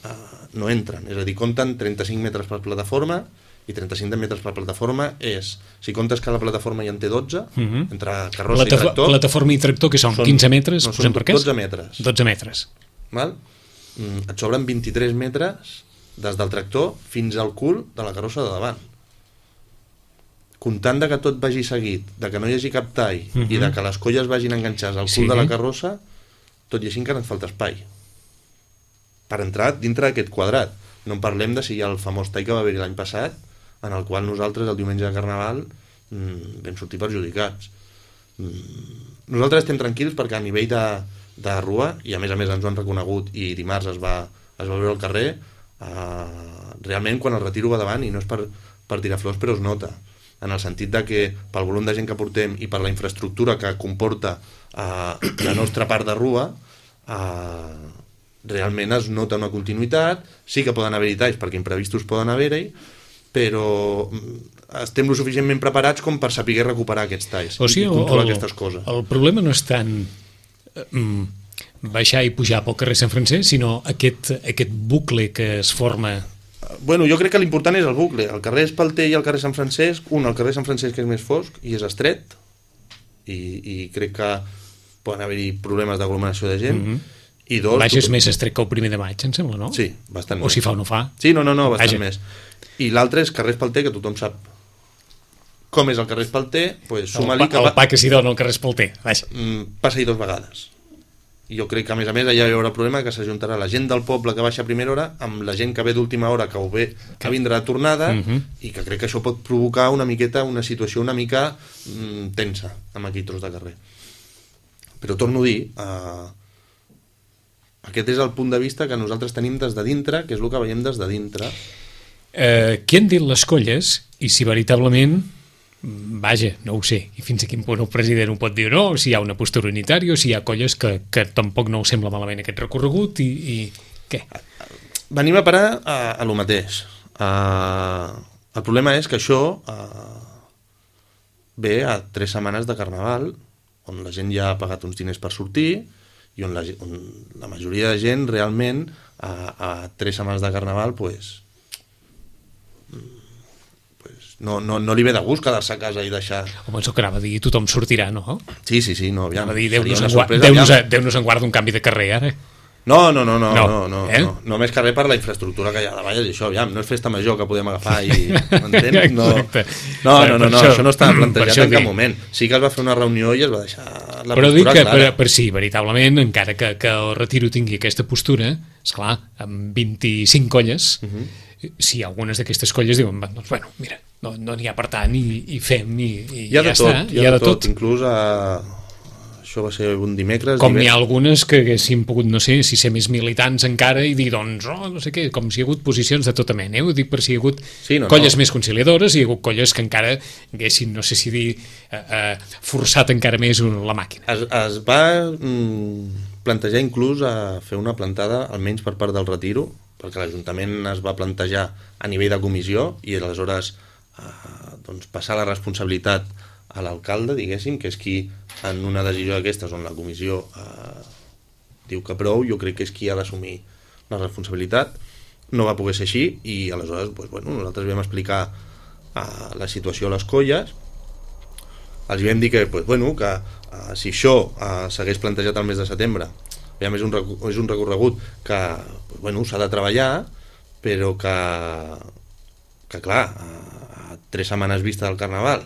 eh, no entren. És a dir, compten trenta-cinc metres per plataforma, i trenta-cinc metres per plataforma és, si comptes que la plataforma ja en té dotze, uh-huh. entre carrossa Plata- i tractor... Plataforma i tractor, que són, són quinze metres? No, són dotze metres. dotze metres. Val? Mm, et sobren vint-i-tres metres des del tractor fins al cul de la carrossa de davant. Comptant de que tot vagi seguit, de que no hi hagi cap tall, uh-huh. i de que les colles vagin enganxades al cul sí. de la carrossa, tot i així encara ens falta espai per entrar dintre d'aquest quadrat. No en parlem de si hi ha el famós tall que va haver-hi l'any passat, en el qual nosaltres el diumenge de Carnaval mmm, vam sortir perjudicats. Mm, nosaltres estem tranquils perquè a nivell de, de rua, i a més a més ens ho han reconegut i dimarts es va, es va veure al carrer, eh, realment quan el retiro va davant, i no és per, per tirar flors, però es nota, en el sentit de que pel volum de gent que portem i per la infraestructura que comporta eh, la nostra part de rua, eh, realment es nota una continuïtat. Sí que poden haver-hi talls perquè imprevistos poden haver-hi, però estem lo suficientment preparats com per saber recuperar aquests talls o sigui, i controlar el, aquestes coses. El problema no és tant um, baixar i pujar pel carrer Sant Francesc, sinó aquest, aquest bucle que es forma. Bueno, jo crec que l'important és el bucle. El carrer Espalter i el carrer Sant Francesc, un, el carrer Sant Francesc és més fosc i és estret, i, i crec que poden haver-hi problemes d'aglomeració de gent, mm-hmm. i dos... Baix és més estret que el primer de maig, em sembla, no? Sí, bastant o més. Si fa o no fa. Sí, no, no, no bastant Vaja. més. I l'altre és carrer Espalter, que tothom sap com és el carrer Espalter, pues, suma-li el, pa, el pa que s'hi dona al carrer Espalter. Mm, passa-hi dos vegades. I jo crec que, a més a més, allà hi haurà el problema que s'ajuntarà la gent del poble que baixa a primera hora amb la gent que ve d'última hora, que ho ve, que vindrà de tornada, uh-huh. i que crec que això pot provocar una miqueta, una situació una mica mm, tensa amb aquell tros de carrer. Però torno a dir... Eh, aquest és el punt de vista que nosaltres tenim des de dintre, que és el que veiem des de dintre. Eh, què han dit les colles i si veritablement, vaja, no ho sé, i fins a quin punt el president ho pot dir o no, si hi ha una postura unitària o si hi ha colles que, que tampoc no us sembla malament aquest recorregut i, i què? Venim a parar a, a lo mateix. Uh, el problema és que això uh, ve a tres setmanes de Carnaval, on la gent ja ha pagat uns diners per sortir i on la, on la majoria de gent realment a, a tres setmanes de Carnaval pues, pues no, no, no li ve de gust quedar-se a casa i deixar... Home, això que anava a dir, tothom sortirà, no? Sí, sí, sí, no, aviam. Dir, Déu-nos en, guarda, Déu-nos, Déu-nos en guarda un canvi de carrer, ara. No, no, no, no, No, no, no, eh? no. Només que res per la infraestructura que hi ha davall, i això, aviam, no és festa major que podem agafar i... M'entens? No, Exacte. no, no, no, no, això- això no estava per plantejat això en cap dic. moment. Sí que es va fer una reunió i es va deixar la Però dic postura que per, clara. per sí, veritablement, encara que, que el Retiro tingui aquesta postura, esclar, amb vint-i-cinc colles, uh Mhm. -huh. si algunes d'aquestes colles diuen, "Va, doncs, bueno, mira, no n'hi no ha per tant i, i fem i, i Hi ha ja de tot, està, hi ha de tot. Inclús a... això va ser un dimecres... Com n'hi divendres. ha algunes que haguessin pogut, no sé, si ser més militants encara i dir, doncs, oh, no sé què, com si hi ha hagut posicions de tota mena, eh? Ho dic per si hi ha hagut Sí, no, colles no. més conciliadores i hi ha hagut colles que encara haguessin, no sé si dir, eh, eh, forçat encara més la màquina. Es, es va mm, plantejar inclús a fer una plantada, almenys per part del Retiro, perquè l'Ajuntament es va plantejar a nivell de comissió i aleshores eh, doncs passar la responsabilitat a l'alcalde, diguéssim, que és qui en una decisió d'aquestes on la comissió eh, diu que prou, jo crec que és qui ha d'assumir la responsabilitat. No va poder ser així i aleshores doncs, bueno, nosaltres vam explicar eh, la situació a les colles, els vam dir que, pues, bueno, que uh, si això uh, s'hagués plantejat al mes de setembre, ja és un, és un recorregut que pues, bueno, s'ha de treballar, però que, que clar, uh, a tres setmanes vista del Carnaval,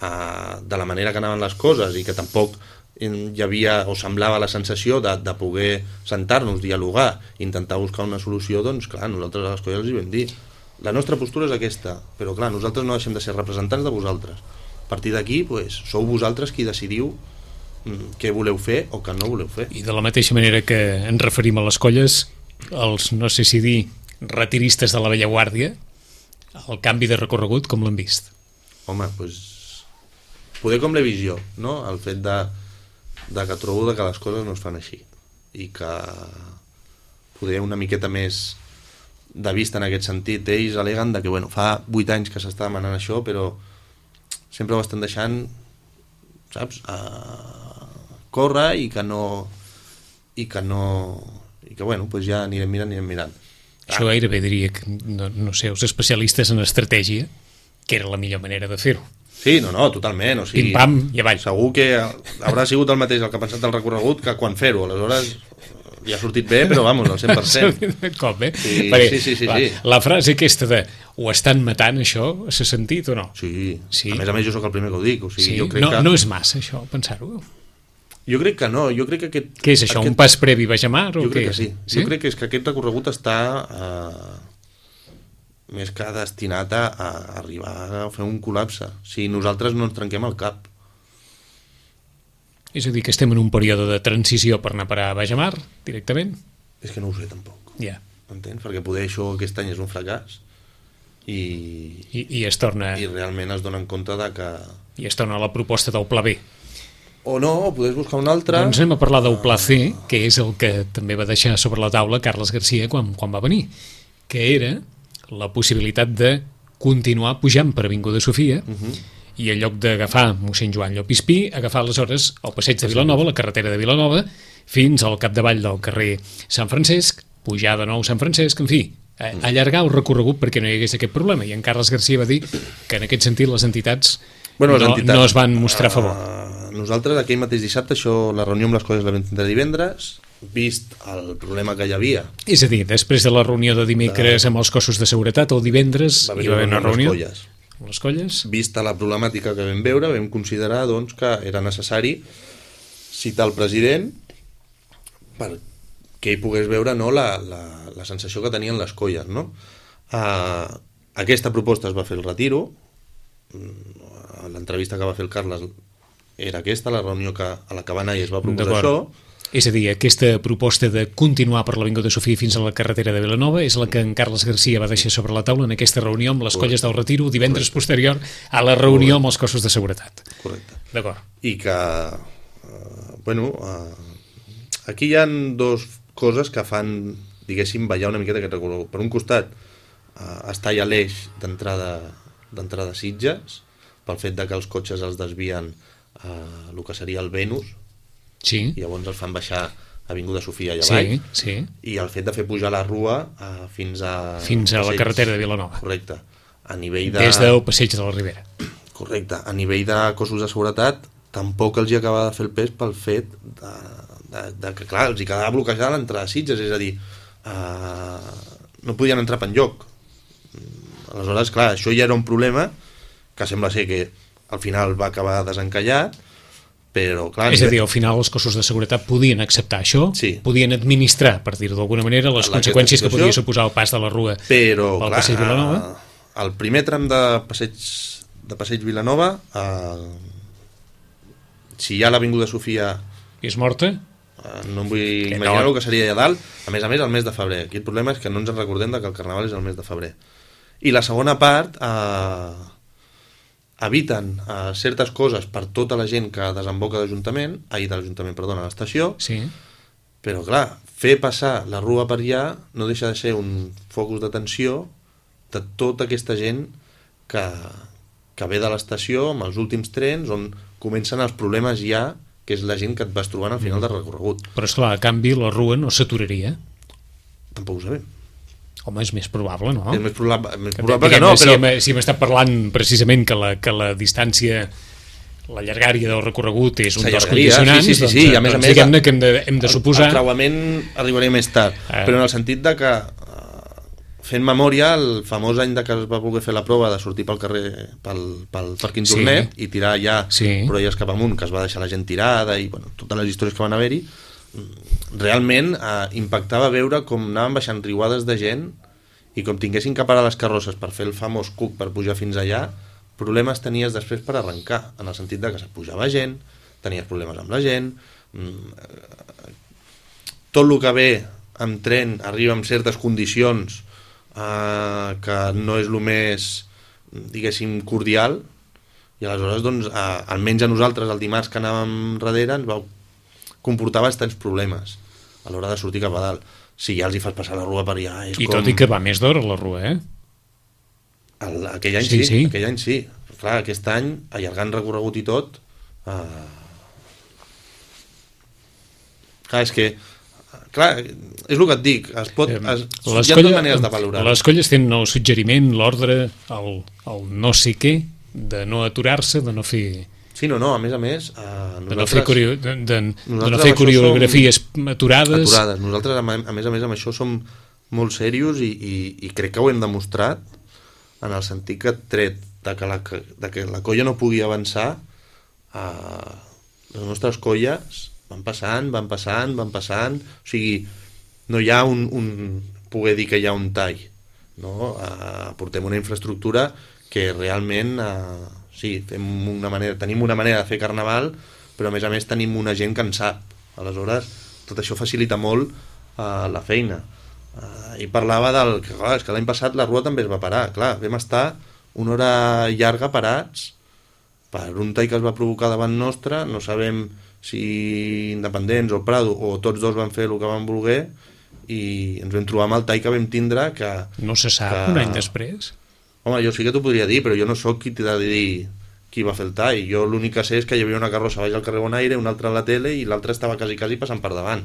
uh, de la manera que anaven les coses i que tampoc hi havia o semblava la sensació de, de poder sentar-nos, dialogar, intentar buscar una solució, doncs clar, nosaltres a les colles els hi vam dir la nostra postura és aquesta, però clar, nosaltres no deixem de ser representants de vosaltres. A partir d'aquí, pues, sou vosaltres qui decidiu mm, què voleu fer o què no voleu fer. I de la mateixa manera que ens referim a les colles, els, no sé si dir, retiristes de la vella guàrdia, el canvi de recorregut, com l'han vist? Home, doncs, poder com la visió, no? El fet de, de que trobo de que les coses no es fan així i que poder una miqueta més de vista en aquest sentit. Ells aleguen de que, bueno, fa vuit anys que s'està demanant això, però sempre ho estan deixant, saps, a córrer i que no i que no i que, bueno, pues ja anirem mirant, anirem mirant. Això gairebé diria que, no, no sé, els especialistes en estratègia, que era la millor manera de fer-ho. Sí, no, no, totalment. O sigui, Pim-pam i avall. Segur que haurà sigut el mateix el que ha pensat del recorregut que quan fer-ho. Aleshores, ja ha sortit bé, però vamos, al cent per cent. Com, eh? Sí, Perquè, sí, sí, sí, la, sí. la frase aquesta de ho estan matant, això, s'ha sentit o no? Sí. Sí. A més a més jo sóc el primer que ho dic. O sigui, Sí? jo crec No, que... no és massa, això, pensar-ho. Jo crec que no. Jo crec que aquest... Què és això, aquest... un pas previ Bajamar? O Jo què crec que és? sí. sí. Jo crec que és que aquest recorregut està eh, més que destinat a, a arribar a fer un col·lapse. Si nosaltres no ens trenquem el cap. És a dir, que estem en un període de transició per anar a parar a Bajamar, directament? És que no ho sé tampoc. Ja. Entens? Perquè poder això aquest any és un fracàs i, I, i es torna i realment es donen compte de que... i es torna a la proposta del Pla B. O no, o podés buscar un altre... Doncs anem a parlar del Pla C, que és el que també va deixar sobre la taula Carles Garcia quan, quan va venir, que era la possibilitat de continuar pujant per Avinguda Sofia Uh -huh. i en lloc d'agafar mossèn Joan Llopispí, agafar aleshores el passeig de Vilanova, la carretera de Vilanova, fins al capdavall del carrer Sant Francesc, pujar de nou Sant Francesc, en fi, allargar el recorregut perquè no hi hagués aquest problema. I en Carles Garcia va dir que en aquest sentit les entitats, bueno, les no, entitats no es van mostrar a favor. Uh, nosaltres aquell mateix dissabte, això, la reunió amb les colles la vam tindre divendres, vist el problema que hi havia. És a dir, després de la reunió de dimecres amb els cossos de seguretat, el divendres Va hi va haver una reunió amb les colles. amb les colles. Vista la problemàtica que vam veure, vam considerar doncs, que era necessari citar el president perquè ell pogués veure, no, la, la, la sensació que tenien les colles, no? Uh, aquesta proposta es va fer el Retiro, l'entrevista que va fer el Carles era aquesta, la reunió que, a la que va anar i es va proposar això. És a dir, aquesta proposta de continuar per l'Avinguda Sofia fins a la carretera de Vilanova és la que en Carles Garcia va deixar sobre la taula en aquesta reunió amb les colles del Retiro divendres Correcte. posterior a la reunió amb els cossos de seguretat. Correcte. D'acord. I que, uh, bueno, uh, aquí hi ha dos coses que fan, diguéssim, ballar una miqueta aquest recorregut. Per un costat, uh, està ja l'eix d'entrada d'entrada a Sitges, pel fet de que els cotxes els desvien a el que seria el Venus, Sí, i llavors els fan baixar a Avinguda Sofia i sí, avall, sí. i el fet de fer pujar la rua uh, fins a... Fins a la passeig. carretera de Vilanova. Correcte. A nivell de... Des del passeig de la Ribera. Correcte. A nivell de cossos de seguretat, tampoc els hi acaba de fer el pes pel fet de, de, de que clar, els hi quedava bloquejada l'entrada a Sitges, és a dir, uh, no podien entrar per enlloc. Aleshores, clar, això ja era un problema que sembla ser que al final va acabar desencallat, però clar... És a dir, al final els cossos de seguretat podien acceptar això, sí. podien administrar, per dir-ho d'alguna manera, les la conseqüències que podia suposar el pas de la Rua però, pel clar, Passeig Vilanova. El primer tram de Passeig, de Passeig Vilanova, eh, si ja l'Avinguda Sofia... És morta? Eh, no em vull que imaginar no. el que seria allà dalt, a més a més el mes de febrer. Aquí el problema és que no ens en recordem de que el Carnaval és el mes de febrer. I la segona part... Eh, eviten uh, certes coses per tota la gent que desemboca d'Ajuntament, ai, de l'Ajuntament, perdona, a l'estació, sí. Però clar, fer passar la Rua per allà no deixa de ser un focus d'atenció de tota aquesta gent que, que ve de l'estació amb els últims trens, on comencen els problemes ja, que és la gent que et vas trobant al final del recorregut. Però esclar, a canvi la Rua no s'aturaria. Tampoc ho sabem. Home, és més probable, no? És més probable, més que, probable que no, si però... hem, si hem estat parlant precisament que la, que la distància, la llargària del recorregut és un dels condicionants, sí, sí, sí, doncs, sí, i a més doncs a més, diguem-ne que hem de, hem de suposar... El, el creuament arribaria més tard, eh. però en el sentit de que, uh, fent memòria, el famós any de que es va voler fer la prova de sortir pel carrer, pel, pel Parc Intornet, sí. i tirar ja sí. Proies cap amunt, que es va deixar la gent tirada, i bueno, totes les històries que van haver-hi, realment uh, impactava veure com anaven baixant riuades de gent i com tinguessin que parar les carrosses per fer el famós cuc per pujar fins allà, problemes tenies després per arrencar, en el sentit de que se pujava gent, tenies problemes amb la gent, tot el que ve amb tren arriba amb certes condicions eh, que no és el més, diguéssim, cordial, i aleshores, doncs, eh, almenys a nosaltres, el dimarts que anàvem darrere, ens va comportar bastants problemes a l'hora de sortir cap a dalt. Si ja els hi fas passar la Rua per allà... És I com... tot i que va més d'hora la Rua, eh? El, aquell any sí, sí, sí, aquell any sí. Clar, aquest any, allargant recorregut i tot... Eh... Clar, és que... Clar, és el que et dic, es pot, es, hi ha dues maneres de valorar. Les colles tenen el suggeriment, l'ordre, el, el no sé què, de no aturar-se, de no fer... Sí, no, no, a més a més... Eh, nosaltres, de no fer, corio... de, de, de no fer coreografies som... aturades. Aturades. Nosaltres, a més a més, amb això som molt serios i, i, i crec que ho hem demostrat en el sentit que tret de que la, de que la colla no pugui avançar, eh, les nostres colles van passant, van passant, van passant... O sigui, no hi ha un... un poder dir que hi ha un tall. No? Eh, portem una infraestructura que realment... Eh, sí, fem una manera, tenim una manera de fer carnaval, però a més a més tenim una gent que en sap. Aleshores, tot això facilita molt uh, la feina. Uh, I parlava del que, clar, és que l'any passat la Rua també es va parar. Clar, vam estar una hora llarga parats per un tall que es va provocar davant nostre, no sabem si Independents o Prado o tots dos van fer el que van voler i ens vam trobar amb el tall que vam tindre que... No se sap, que... un any després? Home, jo sí que t'ho podria dir, però jo no sóc qui t'ha de dir qui va fer el tall. Jo l'únic que sé és que hi havia una carrossa baix al carrer Bonaire, una altra a la tele i l'altra estava quasi, quasi passant per davant.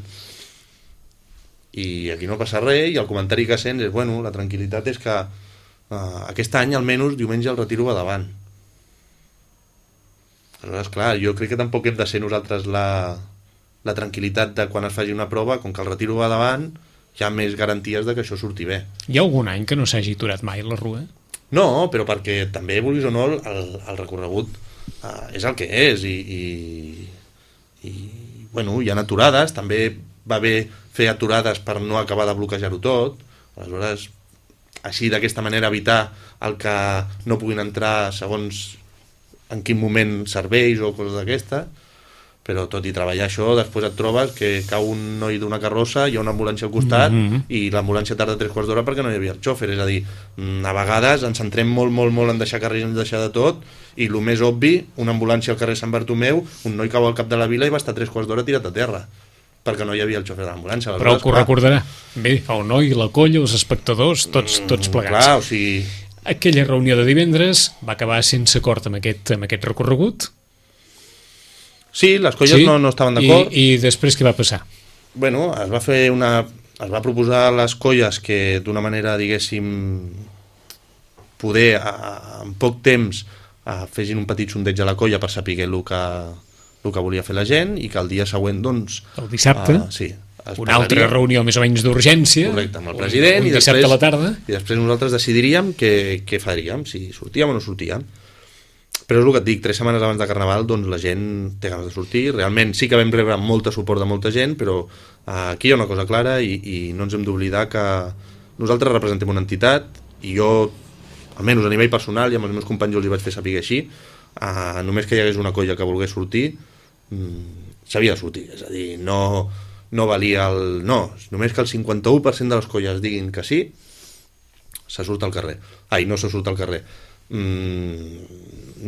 I aquí no passa res i el comentari que sents és, bueno, la tranquil·litat és que uh, aquest any almenys diumenge el retiro va davant. Aleshores, clar, jo crec que tampoc hem de ser nosaltres la, la tranquil·litat de quan es faci una prova, com que el retiro va davant, hi ha més garanties de que això surti bé. Hi ha algun any que no s'hagi aturat mai la Rua? No, però perquè també, vulguis o no, el, el recorregut uh, és el que és i, i, i bueno, hi ha aturades, també va bé fer aturades per no acabar de bloquejar-ho tot, aleshores així d'aquesta manera evitar el que no puguin entrar segons en quin moment serveis o coses d'aquestes, però tot i treballar això, després et trobes que cau un noi d'una carrossa, hi ha una ambulància al costat, mm-hmm. i l'ambulància tarda tres quarts d'hora perquè no hi havia el xòfer, és a dir, a vegades ens centrem molt, molt, molt en deixar carrers, en deixar de tot, i el més obvi, una ambulància al carrer Sant Bartomeu, un noi cau al cap de la vila i va estar tres quarts d'hora tirat a terra, perquè no hi havia el xòfer de l'ambulància. Però que ho recordarà. Bé, el noi, la colla, els espectadors, tots, tots plegats. Clar, o sigui... Aquella reunió de divendres va acabar sense acord amb aquest, amb aquest recorregut. Sí, les colles sí? no, no estaven d'acord. I, I després què va passar? Bueno, es va fer una... Es va proposar a les colles que d'una manera, diguéssim, poder a, a, en poc temps a, fessin un petit sondeig a la colla per saber el que, el que volia fer la gent i que el dia següent, doncs... El dissabte? Uh, sí. Una altra reunió més o menys d'urgència. Correcte, amb el president. Un, un i dissabte després, a la tarda. I després nosaltres decidiríem què, què faríem, si sortíem o no sortíem. Però és el que et dic, tres setmanes abans de Carnaval doncs la gent té ganes de sortir. Realment sí que vam rebre molt suport de molta gent, però uh, aquí hi ha una cosa clara i, i no ens hem d'oblidar que nosaltres representem una entitat i jo, almenys a nivell personal, i amb els meus companys jo els hi vaig fer saber així, uh, només que hi hagués una colla que volgués sortir, um, s'havia de sortir. És a dir, no... no valia el... no, només que el cinquanta-u per cent de les colles diguin que sí, se surt al carrer. Ai, no se surt al carrer. Mm,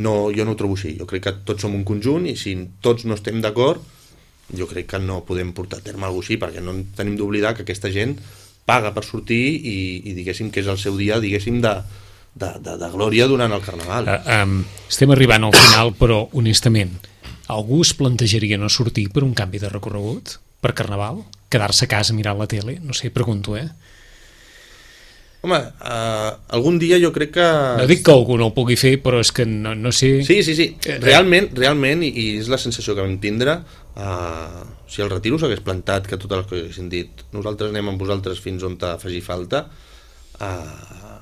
no, jo no ho trobo així. Jo crec que tots som un conjunt i si tots no estem d'acord, jo crec que no podem portar a terme alguna cosa així, perquè no tenim d'oblidar que aquesta gent paga per sortir i, i diguéssim que és el seu dia, diguéssim, de, de, de, de glòria durant el Carnaval. Uh, um, estem arribant al final, però honestament, algú es plantejaria no sortir per un canvi de recorregut? Per Carnaval? Quedar-se a casa mirant la tele? No sé, pregunto, eh? Home, uh, algun dia jo crec que... No dic que algú no ho pugui fer, però és que no, no sé... Sí, sí, sí. Realment, realment, i, i és la sensació que vam tindre, uh, si el retiro s'hagués plantat, que totes les coses haguessin dit nosaltres anem amb vosaltres fins on te faci falta, uh,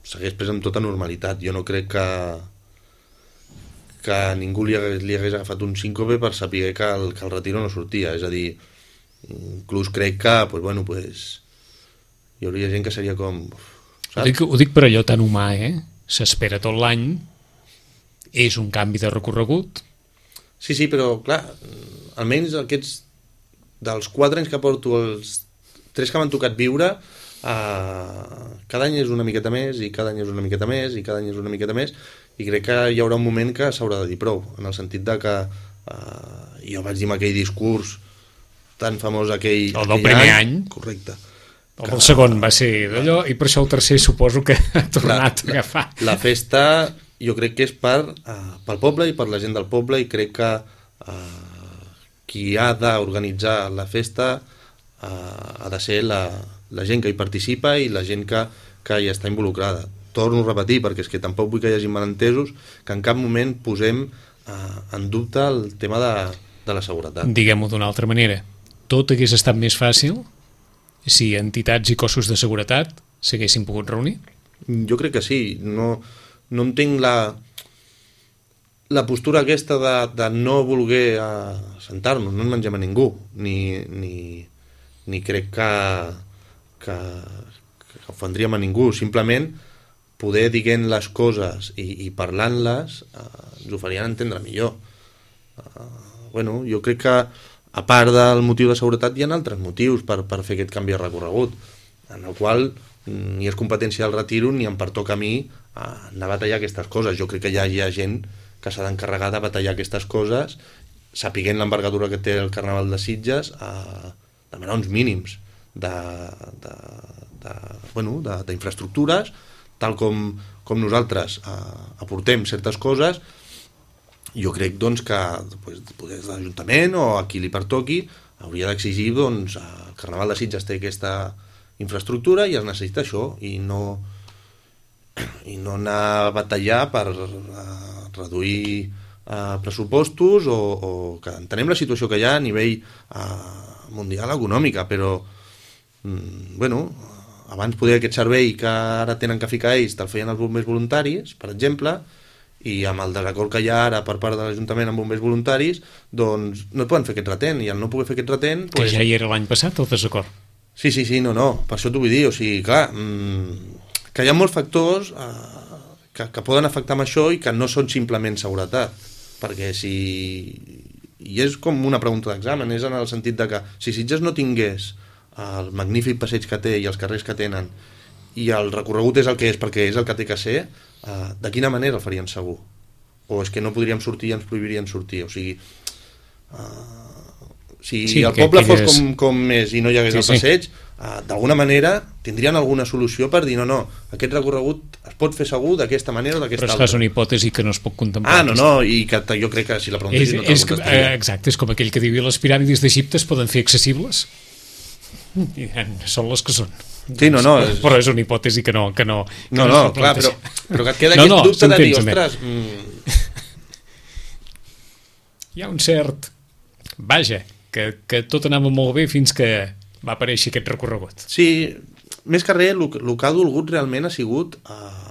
s'hagués pres amb tota normalitat. Jo no crec que que ningú li hagués, li hagués agafat un síncope per saber que el, que el retiro no sortia. És a dir, inclús crec que pues, bueno, pues, hi hauria gent que seria com... Ho dic, ho dic per allò tan humà, eh? S'espera tot l'any, és un canvi de recorregut. Sí, sí, però clar, almenys aquests dels quatre anys que porto, els tres que m'han tocat viure, eh, cada any és una miqueta més i cada any és una miqueta més i cada any és una miqueta més i crec que hi haurà un moment que s'haurà de dir prou, en el sentit de que eh, jo vaig dir amb aquell discurs tan famós aquell, el del primer any, any. Correcte. El del segon va ser d'allò i per això el tercer suposo que ha tornat la, a agafar. La, la festa jo crec que és per, uh, pel poble i per la gent del poble i crec que uh, qui ha d'organitzar la festa uh, ha de ser la, la gent que hi participa i la gent que, que hi està involucrada. Torno a repetir perquè és que tampoc vull que hi hagi malentesos que en cap moment posem uh, en dubte el tema de, de la seguretat. Diguem-ho d'una altra manera, tot hagués estat més fàcil si entitats i cossos de seguretat s'haguessin pogut reunir? Jo crec que sí. No, no entenc la, la postura aquesta de, de no voler assentar-nos. No ens mengem a ningú. Ni, ni, ni crec que, que, que ofendríem a ningú. Simplement poder dient les coses i, i parlant-les eh, ens ho farien entendre millor. Eh, bueno, jo crec que a part del motiu de seguretat hi ha altres motius per, per fer aquest canvi de recorregut, en el qual ni és competència del retiro ni em pertoca a mi a anar a batallar aquestes coses. Jo crec que ja hi ha gent que s'ha d'encarregar de batallar aquestes coses sapiguent l'envergadura que té el Carnaval de Sitges a demanar uns mínims de, de, de, bueno, de, d'infraestructures tal com, com nosaltres eh, aportem certes coses. Jo crec doncs, que pues, des de l'Ajuntament o a qui li pertoqui hauria d'exigir doncs, el Carnaval de Sitges té aquesta infraestructura i es necessita això i no, i no anar a batallar per uh, reduir uh, pressupostos o, o que entenem la situació que hi ha a nivell uh, mundial econòmica, però mm, bueno, abans poder aquest servei que ara tenen que ficar ells te'l feien els bombers voluntaris, per exemple, i amb el desacord que hi ha ara per part de l'Ajuntament amb bombers voluntaris, doncs no et poden fer aquest retent, i al no poder fer aquest retent... Que pues... ja hi era l'any passat, el desacord. Sí, sí, sí, no, no, per això t'ho vull dir, o sigui, clar, mmm, que hi ha molts factors eh, que, que poden afectar amb això i que no són simplement seguretat, perquè si... I és com una pregunta d'examen, és en el sentit de que si Sitges no tingués el magnífic passeig que té i els carrers que tenen i el recorregut és el que és perquè és el que té que ser, uh, de quina manera el farien segur? O és que no podríem sortir i ens prohibirien sortir? O sigui, uh, si sí, el poble fos com, com és i no hi hagués sí, el passeig, sí. uh, d'alguna manera tindrien alguna solució per dir no, no, aquest recorregut es pot fer segur d'aquesta manera o d'aquesta altra. Però és una hipòtesi que no es pot contemplar. Ah, no, no, i que jo crec que si la preguntessis no te'l contestaria. Exacte, és com aquell que diu les piràmides d'Egipte es poden fer accessibles? I són les que són. Sí, no, no, és... però és una hipòtesi que no que no, que no, no, no clar, però, però que et queda no, aquest no, dubte de dir, ostres mm, hi ha un cert... Vaja, que, que tot anava molt bé fins que va aparèixer aquest recorregut. Sí, més que res, el, el que ha dolgut realment ha sigut uh,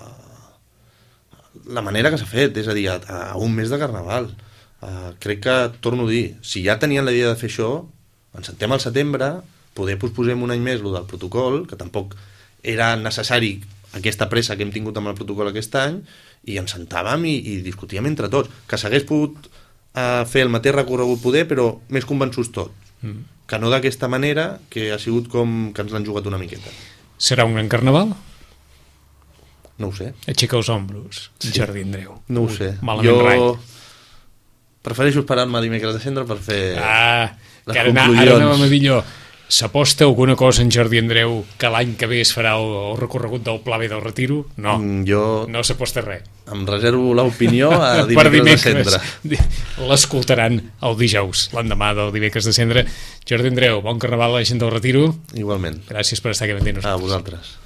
la manera que s'ha fet, és a dir, a, a un mes de Carnaval. Uh, crec que, torno a dir, si ja tenien la idea de fer això, ens sentem al setembre, poder posposem un any més el del protocol, que tampoc era necessari aquesta pressa que hem tingut amb el protocol aquest any, i ens sentàvem i, i discutíem entre tots. Que s'hagués pogut uh, fer el mateix recorregut poder, però més convençuts tots. Mm. Que no d'aquesta manera, que ha sigut com que ens l'han jugat una miqueta. Serà un gran Carnaval? No ho sé. Aixeca els ombros, sí. Jordi Andreu. No ho sé. Malament jo rai. Prefereixo esperar-me dimecres de cendre per fer ah, les que ara, conclusions. Ara anàvem a dir allò. S'aposta alguna cosa en Jordi Andreu que l'any que ve es farà el, el recorregut del Pla B del Retiro? No, mm, jo no s'aposta res. Em reservo l'opinió a dimecres, dimecres de cendre. L'escoltaran el dijous, l'endemà del dimecres de cendre. Jordi Andreu, bon Carnaval a la gent del Retiro. Igualment. Gràcies per estar aquí amb nosaltres. A vosaltres.